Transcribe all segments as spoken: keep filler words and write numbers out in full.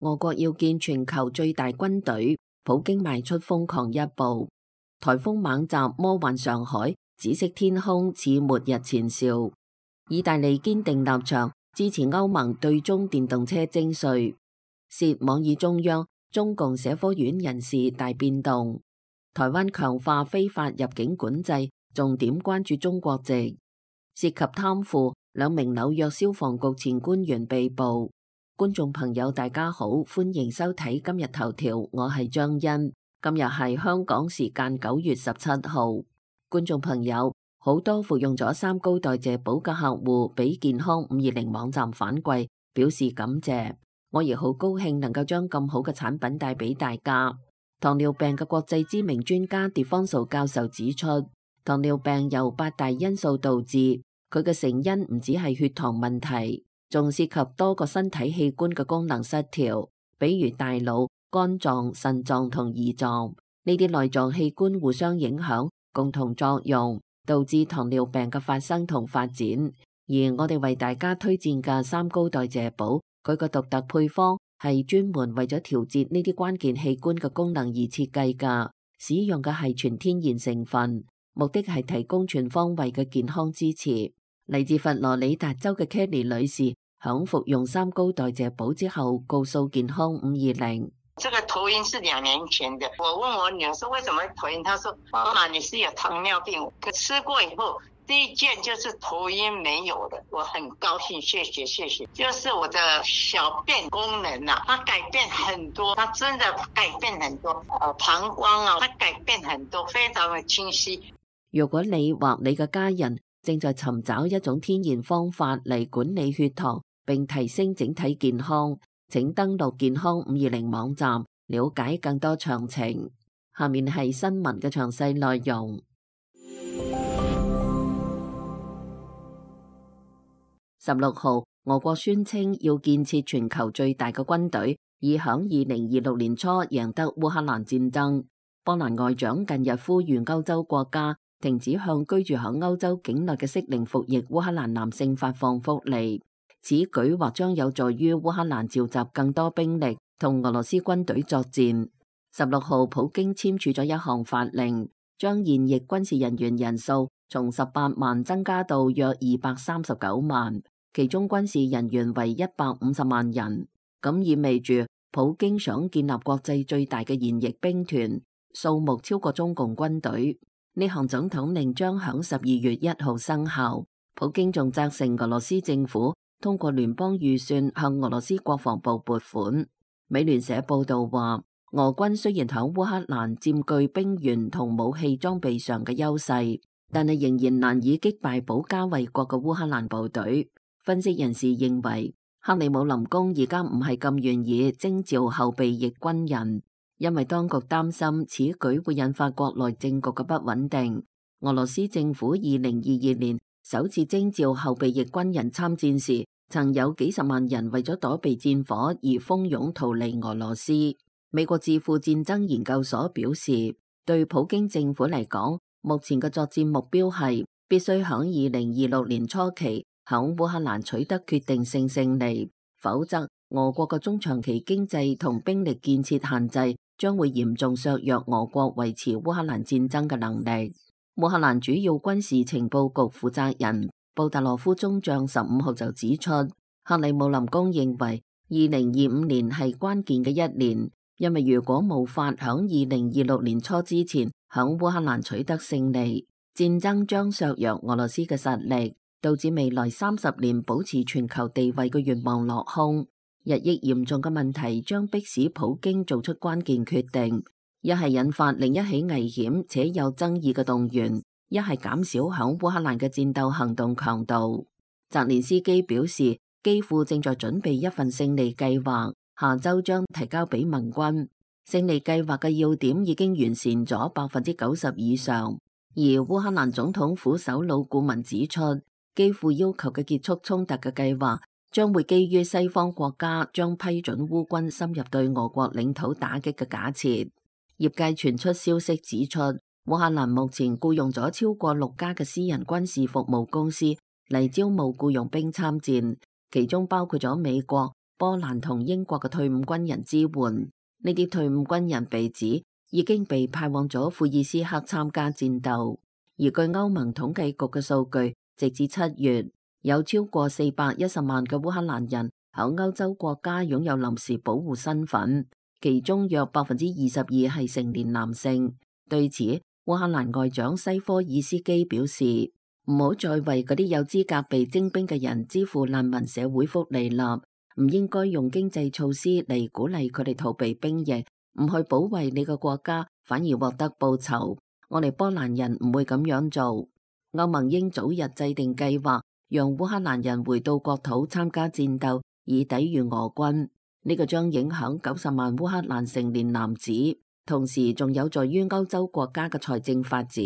俄國要建全球最大軍隊，普京邁出瘋狂一步。颱風猛襲魔幻上海，紫色天空似末日前兆。意大利堅定立場，支持歐盟對中電動車徵稅。涉網易中央，中共社科院人事大變動。台灣強化非法入境管制，重點關注中國籍。涉及貪腐，兩名紐約消防局前官員被捕。觀眾朋友大家好，歡迎收睇今日頭條，我係張欣。今日係香港時間九月十七號。觀眾朋友，好多服用咗三高代謝寶嘅客戶俾健康五二零網站反饋，表示感謝。我亦好高興能夠將咁好嘅產品帶俾大家。糖尿病嘅國際知名專家狄方素教授指出，糖尿病由八大因素導致，佢嘅成因唔只係血糖問題，仲涉及多個身體器官嘅功能失調，比如大腦、肝臟、腎臟同胰臟，呢啲內臟器官互相影響，共同作用，導致糖尿病嘅發生同發展。而我哋為大家推薦嘅三高代謝寶，佢個獨特配方係專門為咗調節呢啲關鍵器官嘅功能而設計㗎，使用嘅係全天然成分，目的係提供全方位嘅健康支持。嚟自佛羅里達州嘅 Kelly 女士響服用三高代謝寶之後，告訴健康五二零。這個頭暈是兩年前的，我問我女兒說為什麼會頭暈，她說媽媽你是有糖尿病，可吃過以後第一件就是頭暈沒有的，我很高興，謝謝謝謝。就是我的小便功能啊，它改變很多，它真的改變很多，呃膀胱啊，它改變很多，非常的清晰。如果你或你嘅家人正在尋找一種天然方法嚟管理血糖並提升整體健康，請登錄健康五二零網站了解更多詳情。下面係新聞嘅詳細內容。十六號，俄國宣稱要建設全球最大嘅軍隊，以響二零二六年初贏得烏克蘭戰爭。波蘭外長近日呼籲歐洲國家停止向居住響歐洲境內嘅適齡服役烏克蘭男性發放福利。此舉或將有助於烏克蘭召集更多兵力同俄羅斯軍隊作戰。十六號，普京簽署咗一項法令，將現役軍事人員人數從十八萬增加到約二百三十九萬。其中軍事人員為一百五十萬人，咁意味住普京想建立國際最大嘅現役兵團，數目超過中共軍隊。呢項總統令將響十二月一號生效。普京仲責成俄羅斯政府通過聯邦預算向俄羅斯國防部撥款。美聯社報道話，俄軍雖然響烏克蘭佔據兵員同武器裝備上嘅優勢，但係仍然難以擊敗保家衛國嘅烏克蘭部隊。分析人士認為，克里姆林宮而家唔係咁願意徵召後備役軍人，因為當局擔心此舉會引發國內政局嘅不穩定。俄羅斯政府二零二二年首次徵召後備役軍人參戰時，曾有幾十萬人為咗躲避戰火而蜂擁逃離俄羅斯。美國智庫戰爭研究所表示，對普京政府嚟講，目前嘅作戰目標係必須響二零二六年初期響烏克蘭取得決定性勝利，否則俄國嘅中長期經濟同兵力建設限制將會嚴重削弱俄國維持烏克蘭戰爭嘅能力。烏克蘭主要軍事情報局負責人布達洛夫中將十五號就指出，克里姆林宮認為二零二五年係關鍵嘅一年，因為如果無法響二零二六年初之前響烏克蘭取得勝利，戰爭將削弱俄羅斯嘅實力，導致未來三十年保持全球地位嘅願望落空。日益嚴重嘅問題將迫使普京做出關鍵決定，一係引發另一起危險且有爭議嘅動員，一係減少響烏克蘭嘅戰鬥行動強度。澤連斯基表示，基輔正在準備一份勝利計劃，下周將提交俾盟軍。勝利計劃嘅要點已經完善咗百分之九十以上，而烏克蘭總統府首腦顧問指出，基輔要求嘅結束衝突嘅計劃將會基於西方國家將批准烏軍深入對俄國領土打擊嘅假設。業界傳出消息指出，烏克蘭目前僱傭咗超過六家嘅私人軍事服務公司嚟招募僱傭兵參戰，其中包括咗美國、波蘭同英國嘅退伍軍人支援。呢啲退伍軍人被指已經被派往咗庫爾斯克參加戰鬥。而據歐盟統計局嘅數據，直至七月，有超過四百一十萬嘅烏克蘭人喺歐洲國家擁有臨時保護身份，其中約百分之二十二係成年男性。對此，烏克蘭外長西科爾斯基表示，唔好再為嗰啲有資格被徵兵嘅人支付難民社會福利啦，唔應該用經濟措施嚟鼓勵佢哋逃避兵役，唔去保衛你個國家，反而獲得報酬。我哋波蘭人唔會咁樣做。歐盟應早日制定計劃，讓烏克蘭人回到國土參加戰鬥，以抵禦俄軍。呢個將影響九十萬烏克蘭成年男子，同時仲有助於歐洲國家嘅財政發展。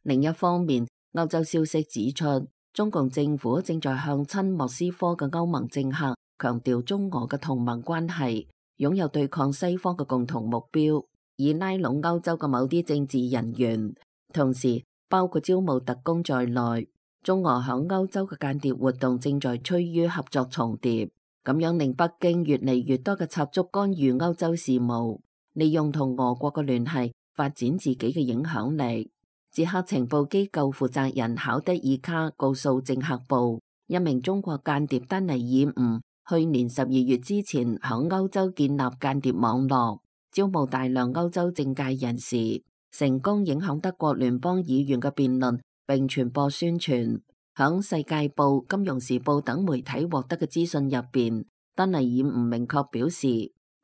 另一方面，歐洲消息指出，中共政府正在向親莫斯科嘅歐盟政客強調中俄嘅同盟關係，擁有對抗西方嘅共同目標，以拉攏歐洲嘅某啲政治人員，同時包括招募特工在內。中俄響歐洲嘅間諜活動正在趨於合作重疊，咁樣令北京越嚟越多嘅插足干預歐洲事務，利用同俄國嘅聯繫發展自己嘅影響力。捷克情報機構負責人考德爾卡告訴政客報，一名中國間諜丹尼爾吳去年十二月之前響歐洲建立間諜網絡，招募大量歐洲政界人士，成功影響德國聯邦議員嘅辯論並傳播宣傳。響世界報、金融時報等媒體獲得嘅資訊入邊，丹尼爾吳明確表示，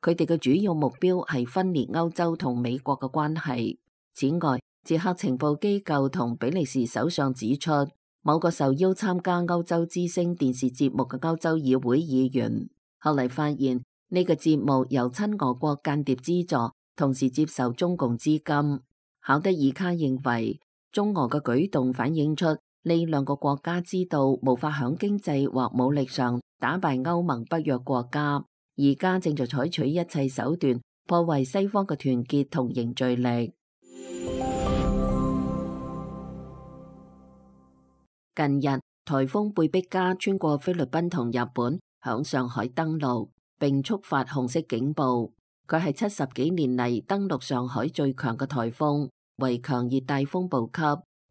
佢哋嘅主要目標係分裂歐洲同美國嘅關係。此外，捷克情報機構同比利時首相指出，某個受邀參加歐洲之聲電視節目嘅歐洲議會議員，後嚟發現呢個節目由親俄國間諜資助，同時接受中共資金。考德爾卡認為，中俄嘅舉動反映出呢兩個國家知道無法響經濟或武力上打敗歐盟北約國家，而家正在採取一切手段破壞西方嘅團結同凝聚力。近日，颱風貝碧嘉穿過菲律賓同日本，響上海登陸，並觸發紅色警報。佢係七十幾年嚟登陸上海最強嘅颱風，為強熱帶風暴級。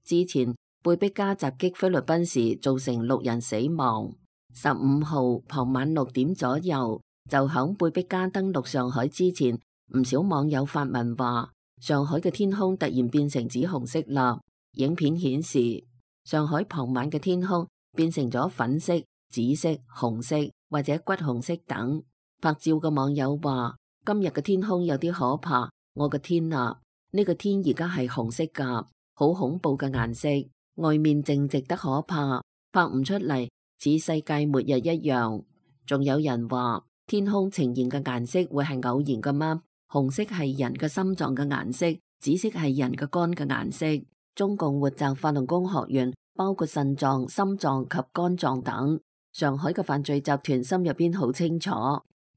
之前貝碧嘉襲擊菲律賓時造成六人死亡。十五號傍晚六點左右，就響貝碧嘉登陸上海之前，唔少網友發文話，上海嘅天空突然變成紫紅色啦。影片顯示，上海傍晚嘅天空變成咗粉色、紫色、紅色或者橘紅色等。拍照嘅網友話，今日嘅天空有啲可怕，我嘅天啊，呢個天而家係紅色噶，好恐怖嘅顏色，外面靜寂得可怕，拍唔出嚟，似世界末日一樣。仲有人話，天空呈現嘅顏色會係偶然噶嗎？紅色係人嘅心臟嘅顏色，紫色係人嘅肝嘅顏色。中共活摘法輪功學員包括腎臟、心臟及肝臟等。上海嘅犯罪集團心入邊好清楚。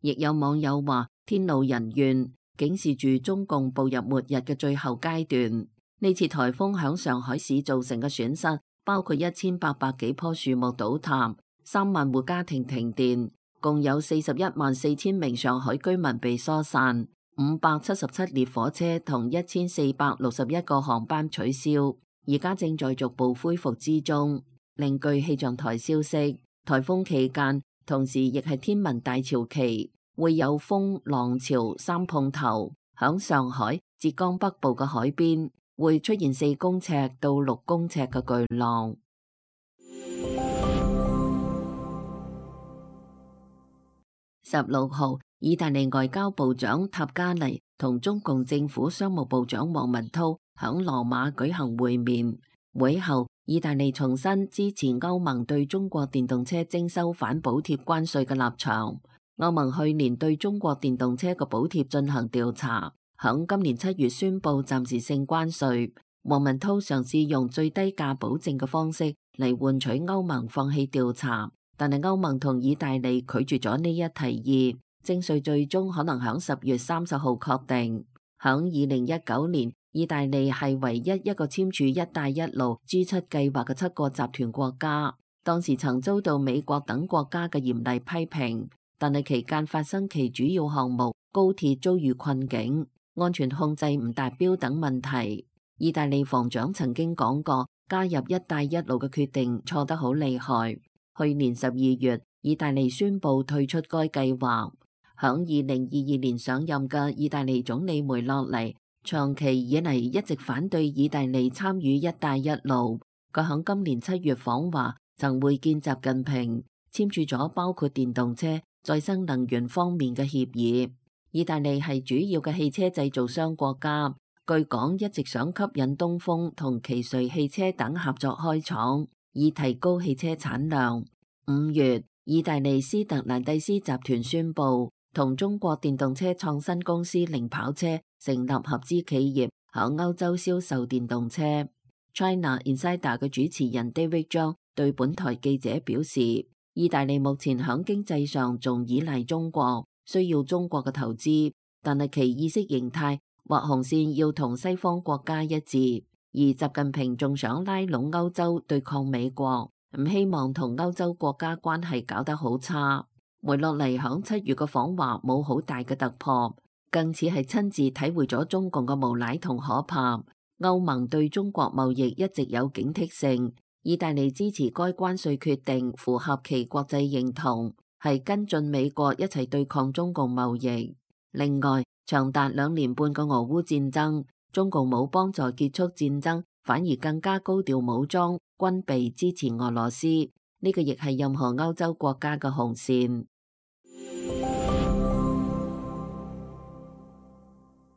亦有網友話，天怒人怨，警示住中共步入末日嘅最後階段。呢次颱風響上海市造成嘅損失包括一千八百幾棵樹木倒塌，三萬戶家庭停電，共有四十一萬四千名上海居民被疏散，五百七十七列火車同一千四百六十一個航班取消，而家正在逐步恢復之中。另據氣象台消息，颱風期間同時亦係天文大潮期，會有風浪潮三碰頭。響上海、浙江北部嘅海邊會出現四公尺到六公尺嘅巨浪。十六號，意大利外交部長塔加尼同中共政府商務部長王文濤響羅馬舉行會面。會後，意大利重申支持歐盟對中國電動車徵收反補貼關稅嘅立場。歐盟去年對中國電動車嘅補貼進行調查，響今年七月宣布暫時性關稅。王文濤嘗試用最低價保證嘅方式嚟換取歐盟放棄調查，但係歐盟同意大利拒絕咗呢一提議，徵稅最終可能響十月三十號確定。響二零一九年，意大利係唯一一個簽署一帶一路 G 七計劃嘅七個集團國家，當時曾遭到美國等國家嘅嚴厲批評。但係期間發生其主要項目高鐵遭遇困境、安全控制唔達標等問題。意大利防長曾經講過，加入一帶一路嘅決定錯得好厲害。去年十二月，意大利宣布退出該計劃。響二零二二年上任嘅意大利總理梅洛尼，長期以嚟一直反對意大利參與一帶一路。佢響今年七月訪華，曾會見習近平，簽署咗包括電動車、再生能源方面嘅協議。意大利係主要嘅汽車製造商國家，據講一直想吸引東風同奇瑞汽車等合作開廠，以提高汽車產量。五月，意大利斯特蘭蒂斯集團宣布，同中國電動車創新公司零跑車成立合資企業，響歐洲銷售電動車。China Insider 嘅主持人 David Zhang 對本台記者表示，意大利目前響經濟上仲依賴中國，需要中國嘅投資，但係其意識形態或紅線要同西方國家一致。而習近平仲想拉攏歐洲對抗美國，唔希望同歐洲國家關係搞得好差。梅洛尼響七月嘅訪華冇好大嘅突破，更似係親自體會咗中共嘅無賴同可怕。歐盟對中國貿易一直有警惕性，意大利支持該關稅決定，符合其國際認同，係跟進美國一齊對抗中共貿易。另外，長達兩年半嘅俄烏戰爭，中共冇幫助結束戰爭，反而更加高調武裝軍備支持俄羅斯，呢個亦係任何歐洲國家嘅紅線。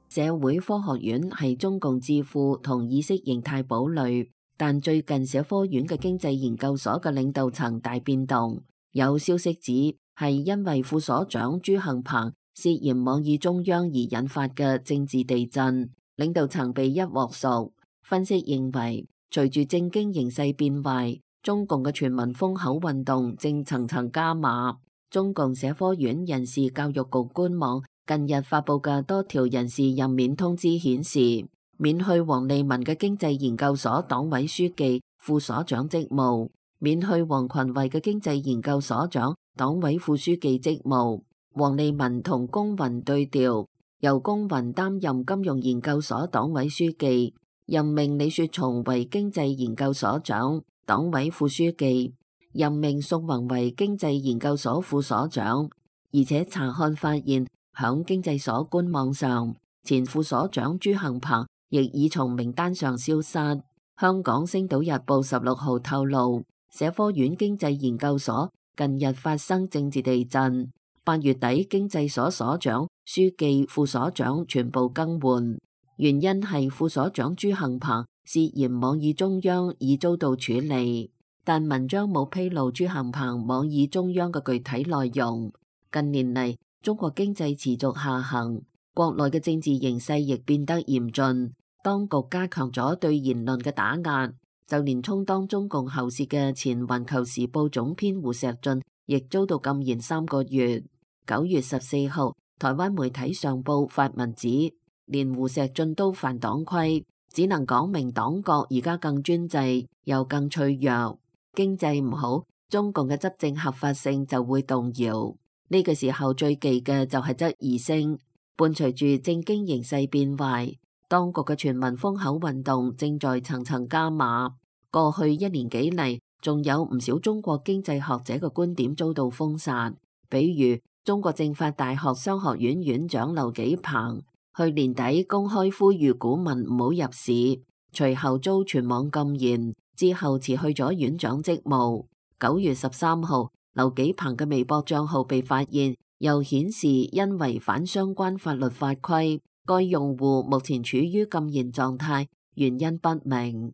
社會科學院係中共智庫同意識形態堡壘，但最近社科院嘅經濟研究所嘅領導層大變動，有消息指係因為副所長朱幸鵬涉嫌妄議中央而引發嘅政治地震，領導層被一鑊熟。分析認為，隨住政經形勢變壞，中共嘅全民封口運動正層層加碼。中共社科院人事教育局官網近日發佈嘅多條人事任免通知顯示，免去王利民嘅經濟研究所黨委書記、副所長職務，免去王群維嘅經濟研究所長、黨委副書記職務。王利民同龔雲對調，由龔雲擔任金融研究所黨委書記，任命李雪松為經濟研究所長、黨委副書記，任命宋宏為經濟研究所副所長。而且查看發現，響經濟所官網上，前副所長朱幸鵬亦已從名單上消失。香港星島日報十六號透露，社科院經濟研究所近日發生政治地震，八月底經濟所所長、書記、副所長全部更換，原因係副所長朱幸鵬涉嫌妄議中央已遭到處理，但文章冇披露朱幸鵬妄議中央嘅具體內容。近年嚟，中國經濟持續下行，國內嘅政治形勢亦變得嚴峻，當局加強咗對言論嘅打壓，就連充當中共喉舌嘅前環球時報總編胡錫進亦遭到禁言三個月。九月十四號，台灣媒體上報發文指，連胡錫進都犯黨規，只能講明黨國而家更專制又更脆弱，經濟唔好，中共嘅執政合法性就會動搖。呢個時候最忌嘅就係質疑聲，伴隨住政經形勢變壞，當局嘅全民封口運動正在層層加碼。過去一年幾嚟，仲有唔少中國經濟學者嘅觀點遭到封殺，比如中國政法大學商學院院長劉紀鵬，去年底公開呼籲股民唔好入市，隨後遭全網禁言，之後辭去咗院長職務。九月十三號，劉紀鵬嘅微博賬號被發現，又顯示因違反相關法律法規，該用戶目前處於禁言狀態，原因不明。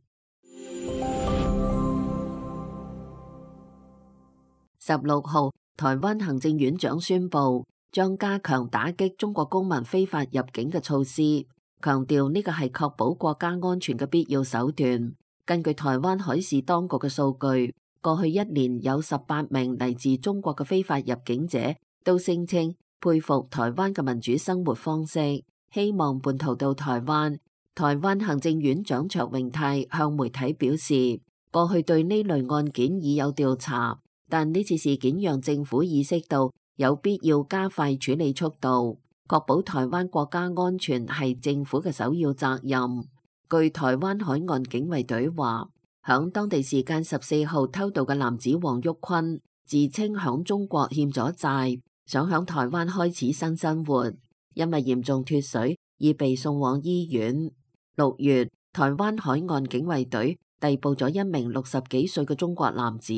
十六號，台灣行政院長宣布將加強打擊中國公民非法入境嘅措施，強調呢個係確保國家安全嘅必要手段。根據台灣海事當局嘅數據，過去一年有十八名嚟自中國嘅非法入境者都聲稱佩服台灣嘅民主生活方式，希望叛逃到台灣。台灣行政院長卓榮泰向媒體表示，過去對呢類案件已有調查，但呢次事件讓政府意識到有必要加快處理速度，確保台灣國家安全係政府嘅首要責任。據台灣海岸警衛隊話，響當地時間十四號偷渡嘅男子黃玉坤，自稱響中國欠咗債，想響台灣開始新生活，因為嚴重脫水而被送往醫院。六月，台灣海岸警衛隊逮捕咗一名六十幾歲嘅中國男子，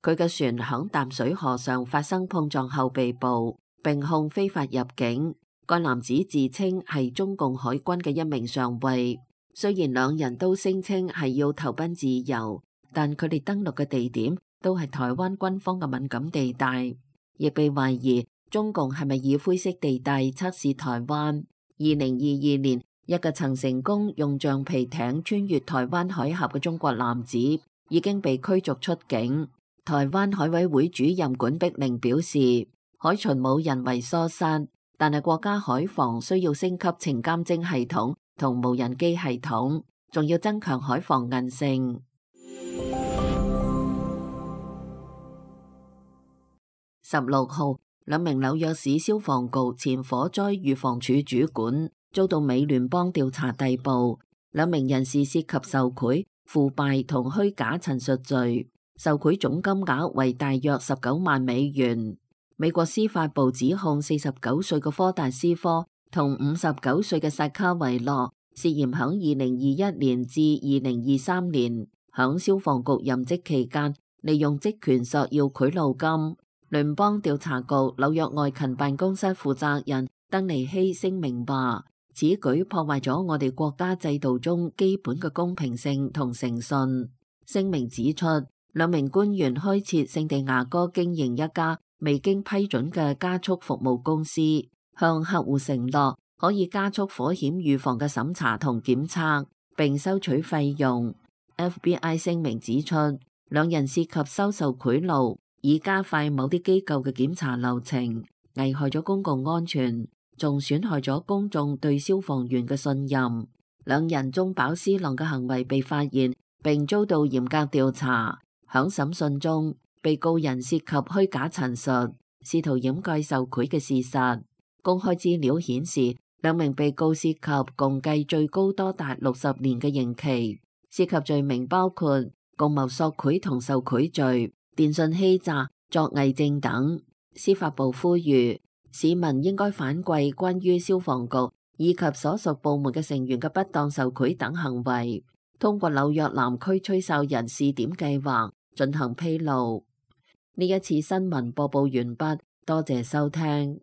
佢嘅船響淡水河上發生碰撞後被捕，並控非法入境。該男子自稱係中共海軍嘅一名上尉，雖然兩人都聲稱係要投奔自由，但佢哋登陸嘅地點都係台灣軍方嘅敏感地帶，亦被懷疑中共係咪以灰色地帶測試台灣。二零二二年，一個曾成功用橡皮艇穿越台灣海峽嘅中國男子已經被驅逐出境。台灣海委會主任管碧玲表示，海巡冇人為疏失，但係國家海防需要升級情監偵系統同無人機系統，仲要增強海防韌性。十六號，兩名紐約市消防局前火災預防處主管遭到美聯邦調查逮捕，兩名人士涉及受賄、腐敗同虛假陳述罪，受賄總金額為大約十九萬美元。美國司法部指控四十九歲嘅科達斯科同五十九歲嘅薩卡維諾涉嫌響二零二一年至二零二三年響消防局任職期間，利用職權索要賄賂金。聯邦調查局紐約外勤辦公室負責人登尼希聲明話，此舉破壞咗我哋國家制度中基本嘅公平性同誠信。聲明指出，兩名官員開設聖地牙哥經營一家未經批准嘅加速服務公司，向客戶承諾可以加速火險預防嘅審查同檢測，並收取費用。F B I 聲明指出，兩人涉及收受賄賂，以加快某啲機構嘅檢查流程，危害咗公共安全，仲損害咗公眾對消防員嘅信任。兩人中飽私囊嘅行為被發現，並遭到嚴格調查。響審訊中，被告人涉及虛假陳述，試圖掩蓋受賄嘅事實。公開資料顯示，兩名被告涉及共計最高多達六十年嘅刑期，涉及罪名包括共謀索賄同受賄罪、電信欺詐、作偽證等。司法部呼籲市民應該反饋關於消防局以及所屬部門嘅成員嘅不當受賄等行為，通過紐約南區吹哨人試點計劃進行披露。呢一次新聞播報完畢，多謝收聽。